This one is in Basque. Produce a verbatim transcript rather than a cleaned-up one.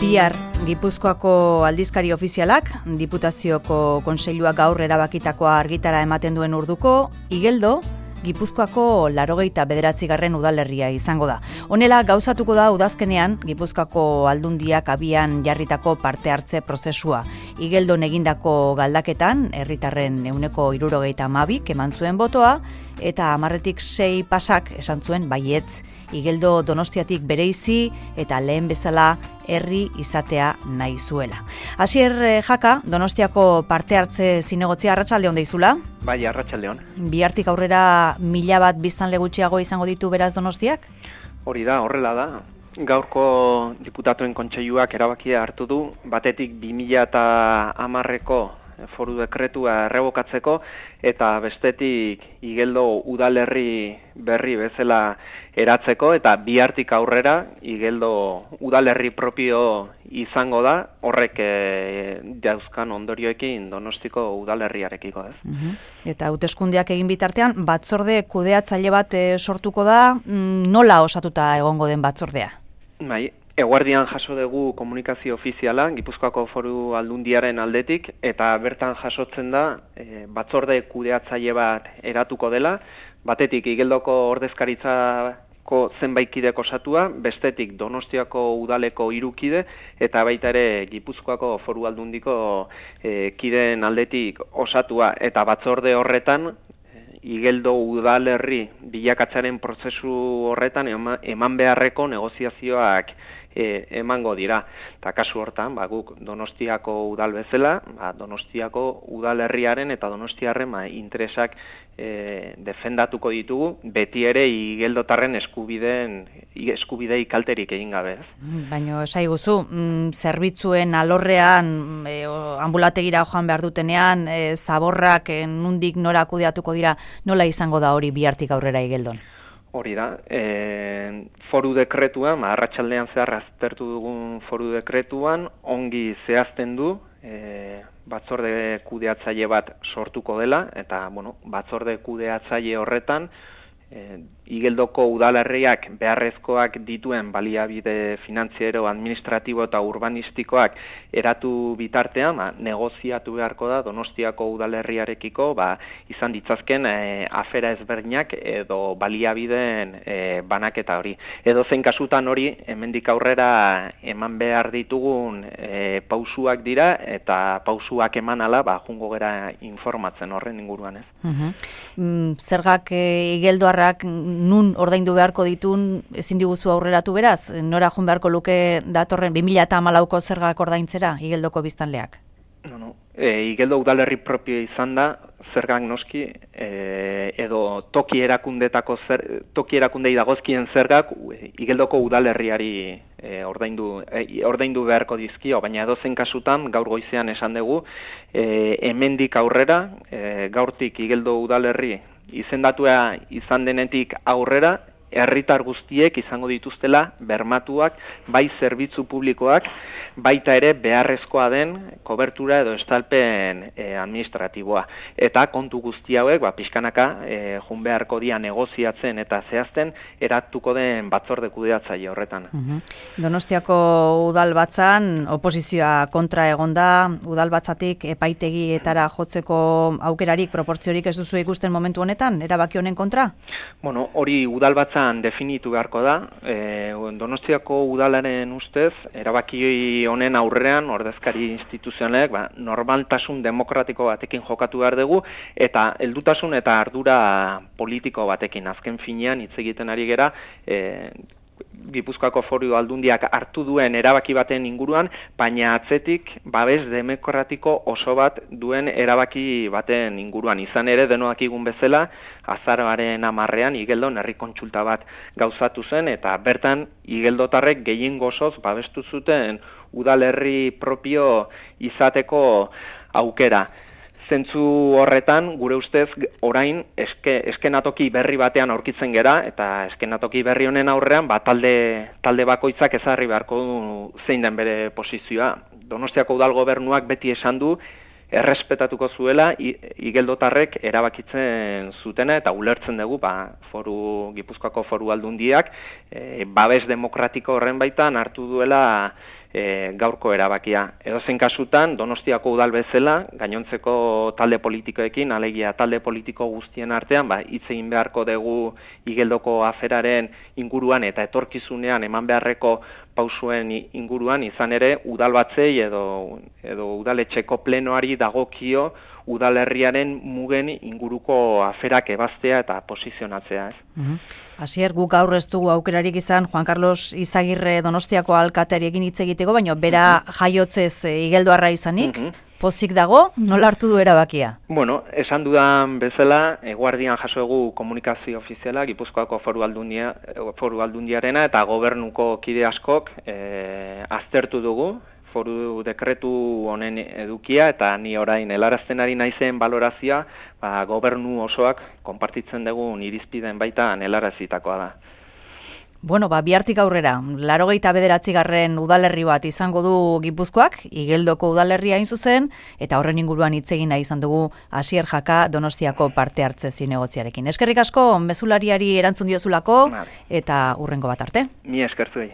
Bihar Gipuzkoako aldizkari ofizialak, Diputazioko Kontseiluak gaur erabakitakoa argitara ematen duen urduko, Igeldo, Gipuzkoako laurogeita bederatzigarren udalerria izango da. Honela gauzatuko da udazkenean Gipuzkoako aldundiak abian jarritako parte hartze prozesua. Igeldon egindako galdaketan, herritarren ehuneko hirurogeita hamabik eman zuen botoa, eta hamarretik sei pasak esan zuen baietz. Igeldo Donostiatik bereizi eta lehen bezala herri izatea nahi zuela. Asier Jaka, Donostiako parte hartze zinegotzia, arratsaldeon deizula? Bai, arratsaldeon. Bihartik aurrera mila bat biztanle gutxiago izango ditu beraz Donostiak? Hori da, horrela da. Gaurko diputatuen kontseiluak erabakia hartu du, batetik bi mila hamarreko foru dekretua errebokatzeko, eta bestetik Igeldo udalerri berri bezala eratzeko, eta bihartik aurrera Igeldo udalerri propio izango da, horrek e, dauzkan ondorioekin Donostiko udalerriarekiko, ez? Uh-huh. Eta hauteskundeak egin bitartean, batzorde kudeatzaile bat e, sortuko da, nola osatuta egongo den batzordea? Bai, eguerdian jaso dugu komunikazio ofiziala Gipuzkoako Foru Aldundiaren aldetik, eta bertan jasotzen da e, batzorde kudeatzaile bat eratuko dela, batetik Igeldoko ordezkaritzako zenbait kidek osatua, bestetik Donostiako udaleko hiru kide, eta baita ere Gipuzkoako Foru Aldundiko e, kideen aldetik osatua, eta batzorde horretan Igeldo udalerri bilakatzaren prozesu horretan eman beharreko negoziazioak e, emango dira. Eta kasu hortan, ba, guk Donostiako udal bezala, ba, Donostiako udalerriaren eta Donostiarren ba, interesak e, defendatuko ditugu, beti ere Igeldotarren eskubideen eskubidei kalterik egin gabe. Baina esaiguzu, mm, zerbitzuen alorrean, e, ambulategira joan behar dutenean, e, zaborrak e, nundik nora kudeatuko dira, nola izango da hori bihartik aurrera Igeldon? Hori da, e, foru dekretuan, arratsaldean zehar aztertu dugun foru dekretuan, ongi zehazten du, e, batzorde kudeatzaile bat sortuko dela, eta bueno, batzorde kudeatzaile horretan, e, Igeldoko udalerriak beharrezkoak dituen baliabide finantziero, administratibo eta urbanistikoak eratu bitartean, ba, negoziatu beharko da Donostiako udalerriarekiko ba, izan ditzazken e, afera ezberdinak edo baliabideen e, banaketa hori. Edo zein kasutan hori, hemendik aurrera eman behar ditugun e, pausuak dira, eta pausuak eman ala, ba, jungo gera informatzen horren inguruan, ez? Uh-huh. mm, zergak e, Igeldoarrak nun ordaindu beharko ditun ezin diguzu aurreratu beraz? Nora joan beharko luke datorren bi mila hamalauko zergak ordaintzera Igeldoko biztanleak? No, no. E, Igeldo udalerri propio izan da, zergak noski, e, edo toki erakundetako zer, toki erakundei dagozkien zergak Igeldoko udalerriari e, ordaindu, e, ordaindu beharko dizkio, baina edozein kasutan gaur goizean esan dugu, e, hemendik aurrera, e, gaurtik Igeldo udalerri izendatua izan denetik aurrera, herritar guztiek izango dituztela bermatuak, bai zerbitzu publikoak, baita ere beharrezkoa den kobertura edo estalpen e, administratiboa. Eta kontu guzti hauek, ba, pixkanaka, e, jun beharko dia negoziatzen eta zehazten eratuko den batzorde kudeatzaile horretan. Uh-huh. Donostiako udalbatzan oposizioa kontra egonda, udalbatzatik epaitegietara jotzeko aukerarik, proportziorik ez duzu ikusten momentu honetan, erabaki honen kontra? Bueno, hori udalbatzan definitu beharko da. E, Donostiako udalaren ustez, erabaki honen aurrean, ordezkari instituzionalek, ba, normaltasun demokratiko batekin jokatu behar dugu, eta heldutasun eta ardura politiko batekin. Azken finean, hitz egiten ari gera, e, Gipuzkoako Foru Aldundiak hartu duen erabaki baten inguruan, baina atzetik babes demokratiko oso bat duen erabaki baten inguruan. Izan ere, denodakigun bezala, azaroaren hamarrean Igeldon herri kontsulta bat gauzatu zen, eta bertan Igeldotarrek gehiengo osoz babestu zuten udalerri propio izateko aukera. Zentzu horretan, gure ustez, orain eske, eskenatoki berri batean aurkitzen gera, eta eskenatoki berri honen aurrean, ba, talde, talde bakoitzak ezarri beharko du zein den bere posizioa. Donostiako udal gobernuak beti esan du, errespetatuko zuela Igeldotarrek erabakitzen zutena, eta ulertzen dugu, ba, foru, Gipuzkoako Foru Aldundiak, e, babes demokratiko horren baitan hartu duela e, gaurko erabakia. Edozein kasutan, Donostiako udal bezala, gainontzeko talde politikoekin, alegia talde politiko guztien artean, ba, hitz egin beharko dugu Igeldoko aferaren inguruan eta etorkizunean eman beharreko pausuen inguruan, izan ere, udalbatzei edo, edo udaletxeko plenoari dagokio udalerriaren mugen inguruko aferak ebaztea eta posizionatzea. Ez? Mm-hmm. Asier, guk gaur ez dugu aukerarik izan Juan Carlos Izagirre Donostiako alkateari egin hitz egiteko, baina bera mm-hmm. jaiotzez igeldoarra izanik, mm-hmm. pozik dago, nola hartu du erabakia? Bueno, esan dudan bezala, eguardian jaso egu komunikazio ofiziala, Gipuzkoako foru, aldundia, foru aldundiarena eta gobernuko kide askok e, aztertu dugu, foru dekretu honen edukia eta ni orain helarazten ari naizen balorazioa, ba, gobernu osoak konpartitzen dugun irizpideen baitan helarazitakoa da. Bueno, ba, bihartik aurrera, laurogeita bederatzigarren udalerri bat izango du Gipuzkoak, Igeldoko udalerria hain zuzen, eta horren inguruan hitz egin nahi izan dugu Asier Jaka Donostiako parte hartze zinegotziarekin. Eskerrik asko, mezulariari erantzun diozulako, eta hurrengo bat arte. Mi eskertzuei.